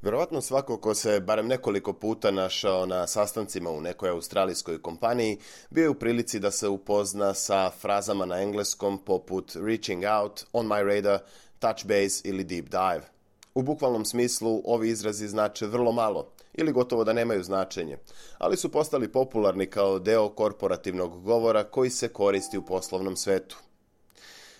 Vjerovatno svako ko se barem nekoliko puta našao na sastancima u nekoj australijskoj kompaniji bio je u prilici da se upozna sa frazama na engleskom poput reaching out, on my radar, touch base ili deep dive. U bukvalnom smislu ovi izrazi znače vrlo malo ili gotovo da nemaju značenje, ali su postali popularni kao deo korporativnog govora koji se koristi u poslovnom svetu.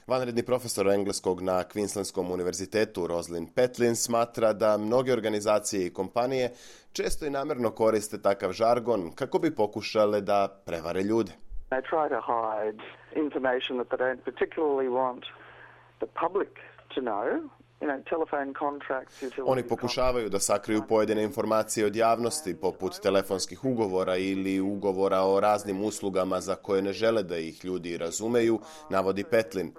Vanredni profesor engleskog na Queenslandskom univerzitetu Rosalind Petlin smatra da mnoge organizacije i kompanije često i namjerno koriste takav žargon kako bi pokušale da prevare ljude. They try to hide information that they don't particularly want the public to know. Oni pokušavaju da sakriju pojedine informacije od javnosti, poput telefonskih ugovora ili ugovora o raznim uslugama za koje ne žele da ih ljudi razumeju, navodi Petlin.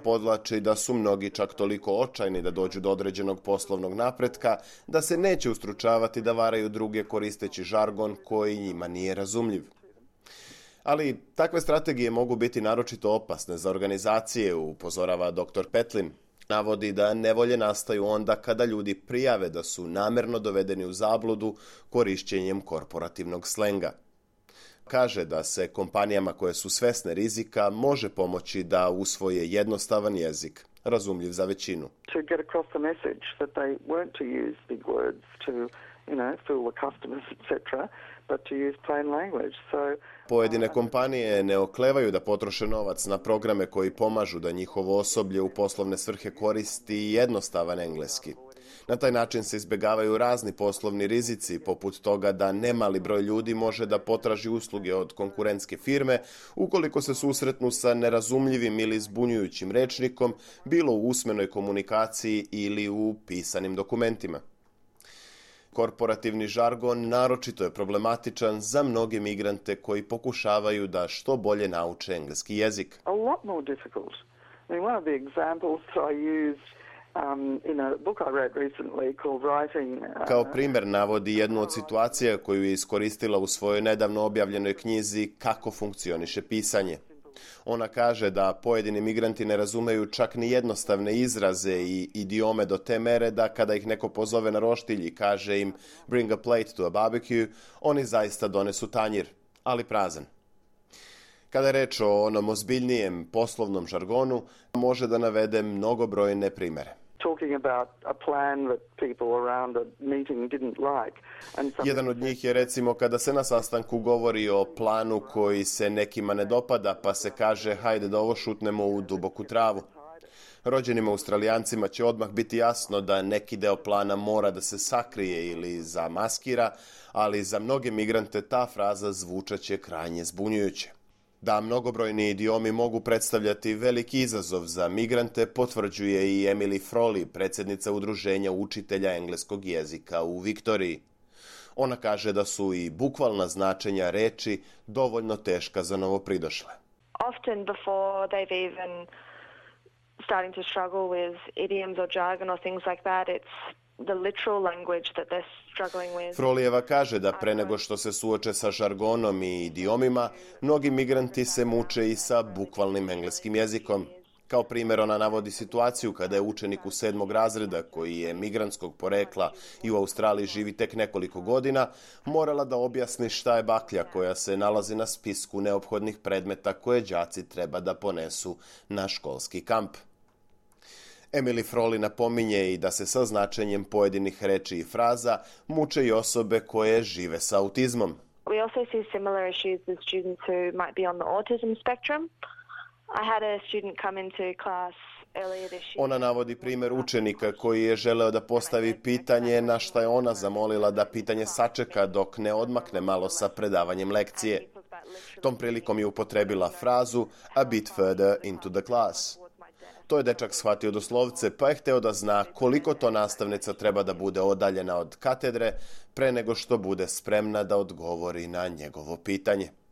Podvlači da su mnogi čak toliko očajni da dođu do određenog poslovnog napretka, da se neće ustručavati da varaju druge koristeći žargon koji njima nije razumljiv. Ali takve strategije mogu biti naročito opasne za organizacije, upozorava dr. Petlin. Navodi da nevolje nastaju onda kada ljudi prijave da su namjerno dovedeni u zabludu korišćenjem korporativnog slenga. Kaže da se kompanijama koje su svesne rizika može pomoći da usvoje jednostavan jezik, razumljiv za većinu. To get across the message that they weren't to use big words to, fool the customers, etc., but to use plain language. Pojedine kompanije ne oklevaju da potroše novac na programe koji pomažu da njihovo osoblje u poslovne svrhe koristi jednostavan engleski. Na taj način se izbjegavaju razni poslovni rizici, poput toga da nemali broj ljudi može da potraži usluge od konkurentske firme ukoliko se susretnu sa nerazumljivim ili zbunjujućim rečnikom, bilo u usmenoj komunikaciji ili u pisanim dokumentima. Korporativni žargon naročito je problematičan za mnoge migrante koji pokušavaju da što bolje nauče engleski jezik. A lot more difficult. One of the examples that I used in a book I wrote recently called Writing. Kao primjer navodi jednu od situacija koju je iskoristila u svojoj nedavno objavljenoj knjizi Kako funkcioniše pisanje. Ona kaže da pojedini migranti ne razumeju čak ni jednostavne izraze i idiome do te mere da kada ih neko pozove na roštilj i kaže im bring a plate to a barbecue, oni zaista donesu tanjir, ali prazan. Kada je reč o onom ozbiljnijem poslovnom žargonu, može da navede mnogobrojne primjere. Jedan od njih je recimo kada se na sastanku govori o planu koji se nekima ne dopada, pa se kaže hajde da ovo šutnemo u duboku travu. Rođenim Australijancima će odmah biti jasno da neki deo plana mora da se sakrije ili zamaskira, ali za mnoge migrante ta fraza zvučaće krajnje zbunjujuće. Da mnogobrojni idiomi mogu predstavljati veliki izazov za migrante, potvrđuje i Emily Frawley, predsjednica udruženja učitelja engleskog jezika u Viktoriji. Ona kaže da su i bukvalna značenja reči dovoljno teška za novopridošle. Often before they've even starting to struggle with idioms or jargon or things like that, it's the literal language that they're struggling with. Frolijeva kaže da pre nego što se suoče sa žargonom i idiomima, mnogi migranti se muče i sa bukvalnim engleskim jezikom. Kao primjer ona navodi situaciju kada je učenik u 7. razreda, koji je migrantskog porekla i u Australiji živi tek nekoliko godina, morala da objasni šta je baklja koja se nalazi na spisku neophodnih predmeta koje đaci treba da ponesu na školski kamp. Emily Frawley napominje i da se sa značenjem pojedinih reči i fraza muče i osobe koje žive sa autizmom. We also see similar issues with students who might be on the autism spectrum. I had a student come into class earlier this year. Ona navodi primjer učenika koji je želeo da postavi pitanje, na šta je ona zamolila da pitanje sačeka dok ne odmakne malo sa predavanjem lekcije. Tom prilikom je upotrebila frazu a bit further into the class. To je dečak shvatio doslovce, pa je hteo da zna koliko to nastavnica treba da bude odaljena od katedre pre nego što bude spremna da odgovori na njegovo pitanje.